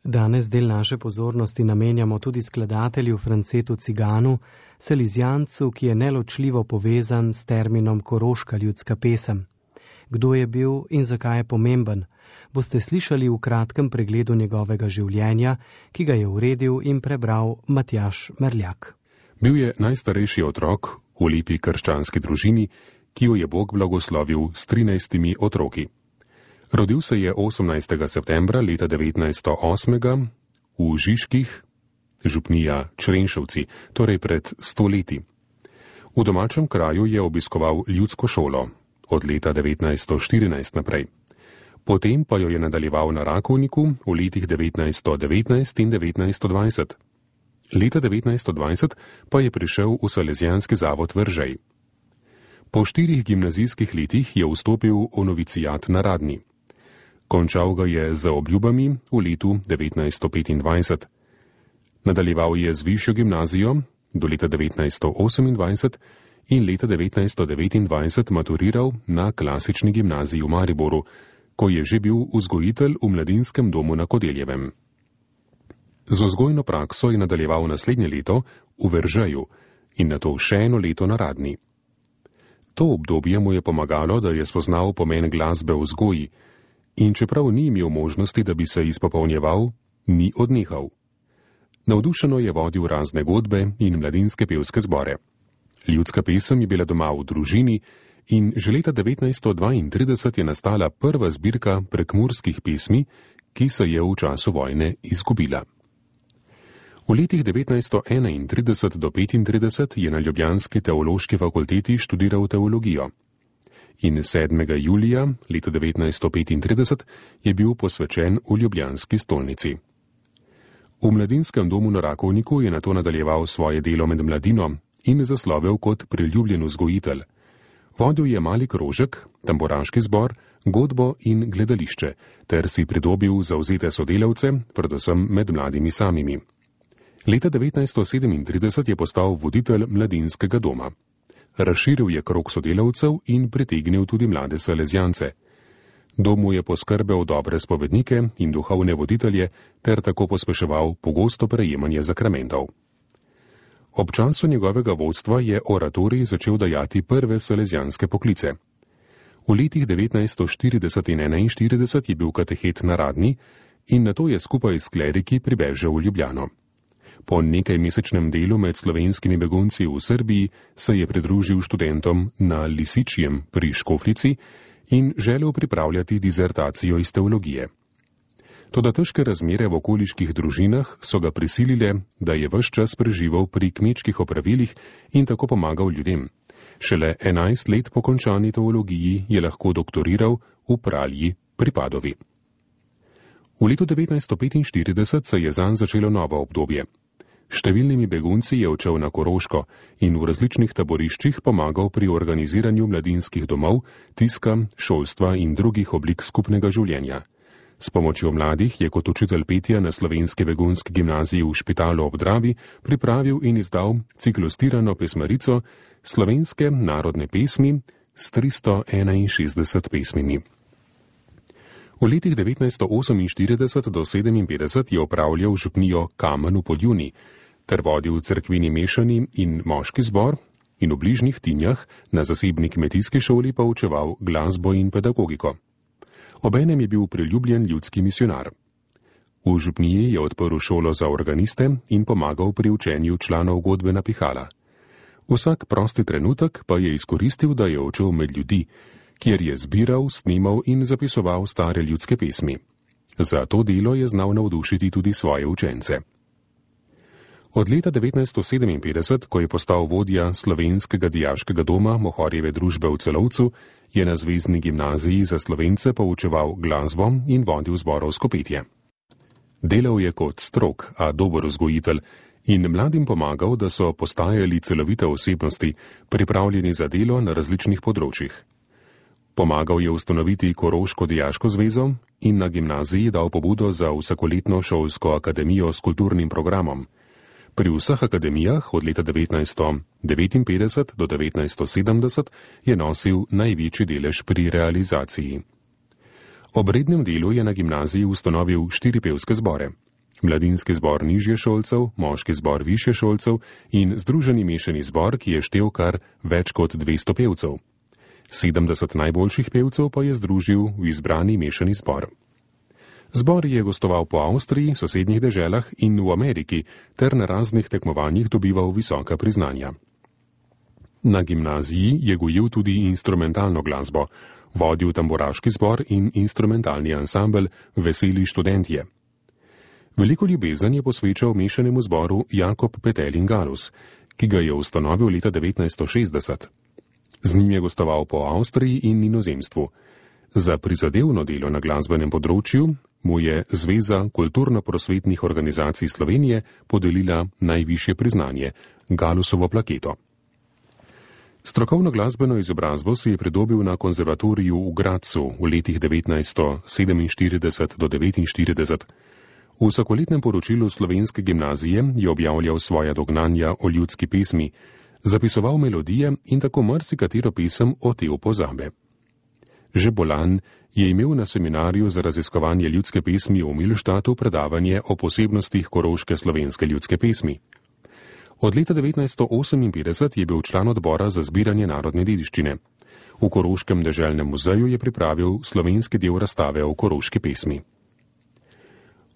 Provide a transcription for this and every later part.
Danes del naše pozornosti namenjamo tudi skladatelju Francetu Ciganu, salizijancu, ki je neločljivo povezan s terminom koroška ljudska pesem. Kdo je bil in zakaj je pomemben, boste slišali v kratkem pregledu njegovega življenja, ki ga je uredil in prebral Matjaž Merljak. Bil je najstarejši otrok v lepi krščanski družini, ki jo je Bog blagoslovil s 13 otroki. Rodil se je 18. septembra leta 1908 v Žižkih, župnija Črenšovci, torej pred 100 leti. V domačem kraju je obiskoval ljudsko šolo od leta 1914 naprej. Potem pa jo je nadaljeval na Rakovniku v letih 1919 in 1920. Leta 1920 pa je prišel v Salezijanski zavod Veržej. Po 4 gimnazijskih letih je vstopil v novicijat na Radni. Končal ga je z obljubami v letu 1925. Nadaljeval je z višjo gimnazijo do leta 1928 in leta 1929 maturiral na klasični gimnaziji v Mariboru, ko je že bil vzgojitelj v mladinskem domu na Kodeljevem. Z vzgojno prakso je nadaljeval naslednje leto v Veržeju in nato še eno leto na Radni. To obdobje mu je pomagalo, da je spoznal pomen glasbe v vzgoji in čeprav ni imel možnosti, da bi se izpopolnjeval, ni odnehal. Navdušeno je vodil razne godbe in mladinske pevske zbore. Ljudska pesem je bila doma v družini in že leta 1932 je nastala prva zbirka prekmurskih pesmi, ki se je v času vojne izgubila. V letih 1931 do 1935 je na ljubljanski teološki fakulteti študiral teologijo. In 7. julija leta 1935 je bil posvečen v ljubljanski stolnici. V mladinskem domu na Rakovniku je nato nadaljeval svoje delo med mladino in zaslovel kot priljubljen vzgojitelj. Vodil je mali krožek, tamboraški zbor, godbo in gledališče, ter si pridobil zavzete sodelavce, predvsem med mladimi samimi. Leta 1937 je postal voditelj mladinskega doma. Razširil je krog sodelavcev in pritegnil tudi mlade salezijance. Domu je poskrbel dobre spovednike in duhovne voditelje ter tako pospeševal pogosto prejemanje zakramentov. Ob času njegovega vodstva je oratorij začel dajati prve salezijanske poklice. V letih 1940 in 1941 je bil katehet na Radni in nato je skupaj s kleriki pribežal v Ljubljano. Po nekajmesečnem delu med slovenskimi begunci v Srbiji se je pridružil študentom na Lisičjem pri Škofljici in želel pripravljati dizertacijo iz teologije. Toda težke razmere v okoliških družinah so ga prisilile, da je ves čas preživel pri kmečkih opravilih in tako pomagal ljudem. Šele 11 let po končani teologiji je lahko doktoriral v Pralji pri Padovi. V letu 1945 se je zanj začelo novo obdobje. Številnimi begunci je odšel na Koroško in v različnih taboriščih pomagal pri organiziranju mladinskih domov, tiska, šolstva in drugih oblik skupnega življenja. S pomočjo mladih je kot učitelj petja na slovenski begunski gimnaziji v Špitalu ob Dravi pripravil in izdal ciklostirano pesmarico Slovenske narodne pesmi s 361 pesmimi. V letih 1948 do 1957 je opravljal župnijo Kamen v Podjuni ter vodil cerkveni mešani in moški zbor in v bližnjih Tinjah na zasebni kmetijski šoli pa učeval glasbo in pedagogiko. Obenem je bil priljubljen ljudski misionar. V župniji je odprl šolo za organiste in pomagal pri učenju članov godbe na pihala. Vsak prosti trenutek pa je izkoristil, da je odšel med ljudi, kjer je zbiral, snimal in zapisoval stare ljudske pesmi. Za to delo je znal navdušiti tudi svoje učence. Od leta 1957, ko je postal vodja slovenskega dijaškega doma Mohorjeve družbe v Celovcu, je na Zvezni gimnaziji za Slovence poučeval glasbo in vodil zborovsko petje. Delal je kot strog, a dober vzgojitelj in mladim pomagal, da so postajali celovite osebnosti, pripravljeni za delo na različnih področjih. Pomagal je ustanoviti Koroško dijaško zvezo in na gimnaziji dal pobudo za vsakoletno šolsko akademijo s kulturnim programom. Pri vseh akademijah od leta 1959 do 1970 je nosil največji delež pri realizaciji. Ob rednem delu je na gimnaziji ustanovil 4 pevske zbore. mladinski zbor nižješolcev, moški zbor višješolcev in združeni mešani zbor, ki je štel kar več kot 200 pevcev. 70 najboljših pevcev pa je združil v izbrani mešani zbor. Zbor je gostoval po Avstriji, sosednjih deželah in v Ameriki ter na raznih tekmovanjih dobival visoka priznanja. Na gimnaziji je gojil tudi instrumentalno glasbo, vodil tamburaški zbor in instrumentalni ansambel Veseli študentje. Veliko ljubezen je posvečal mešanemu zboru Jakob Petelin Galus, ki ga je ustanovil leta 1960. Z njim je gostoval po Avstriji in inozemstvu. Za prizadevno delo na glasbenem področju mu je Zveza kulturno-prosvetnih organizacij Slovenije podelila najvišje priznanje, Galusovo plaketo. Strokovno glasbeno izobrazbo si je pridobil na konzervatoriju v Gradcu v letih 1947 do 1949. V vsakoletnem poročilu Slovenske gimnazije je objavljal svoja dognanja o ljudski pesmi, zapisoval melodije in tako marsikatero pesem otel pozabe. Že bolan je imel na seminarju za raziskovanje ljudske pesmi v Milštatu predavanje o posebnostih koroške slovenske ljudske pesmi. Od leta 1958 je bil član odbora za zbiranje narodne dediščine. V Koroškem deželnem muzeju je pripravil slovenski del razstave o koroški pesmi.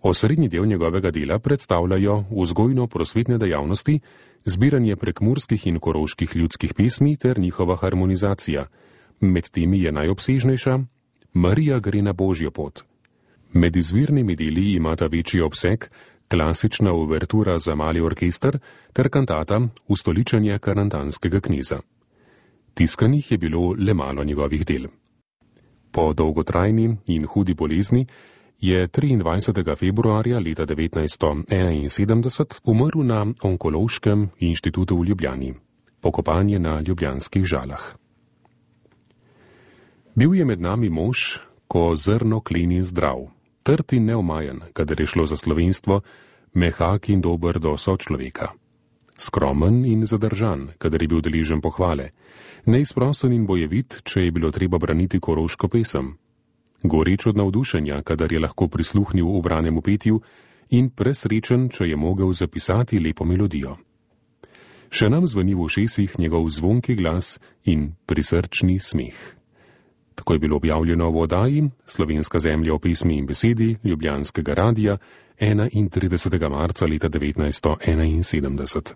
Osrednji del njegovega dela predstavljajo vzgojno-prosvetne dejavnosti, zbiranje prekmurskih in koroških ljudskih pesmi ter njihova harmonizacija. Med temi je najobsežnejša Marija gre na Božjo pot. Med izvirnimi deli imata večji obseg klasična uvertura za mali orkester ter kantata Ustoličenje karantanskega kneza. Tiskanih je bilo le malo njegovih del. Po dolgotrajni in hudi bolezni je 23. februarja leta 1971 umrl na Onkološkem inštitutu v Ljubljani. Pokopan je na ljubljanskih Žalah. Bil je med nami mož, ko zrno kleni zdrav, trd in neomajen, kadar je šlo za slovenstvo, mehak in dober do sočloveka. Skromen in zadržan, kadar je bil deležen pohvale, neizprosten in bojevit, če je bilo treba braniti koroško pesem. Goreč od navdušenja, kadar je lahko prisluhnil ubranemu petju, in presrečen, če je mogel zapisati lepo melodijo. Še nam zveni v ušesih njegov zvonki glas in prisrčni smeh. Tako je bilo objavljeno v oddaji Slovenska zemlja o pesmi in besedi Ljubljanskega radia 31. marca leta 1971.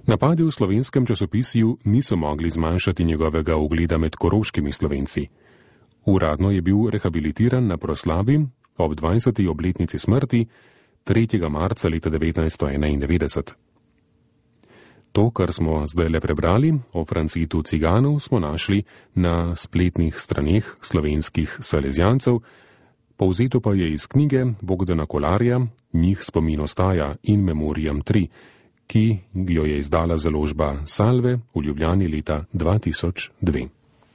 Napadi v slovenskem časopisju niso mogli zmanjšati njegovega ugleda med koroškimi Slovenci. Uradno je bil rehabilitiran na proslavi ob 20. obletnici smrti 3. marca leta 1991. To, kar smo zdaj le prebrali o Francetu Ciganu, smo našli na spletnih straneh slovenskih salezijancev, povzeto pa je iz knjige Bogdana Kolarja Njih spomin ostaja in Memoriam 3, ki jo je izdala založba Salve v Ljubljani leta 2002.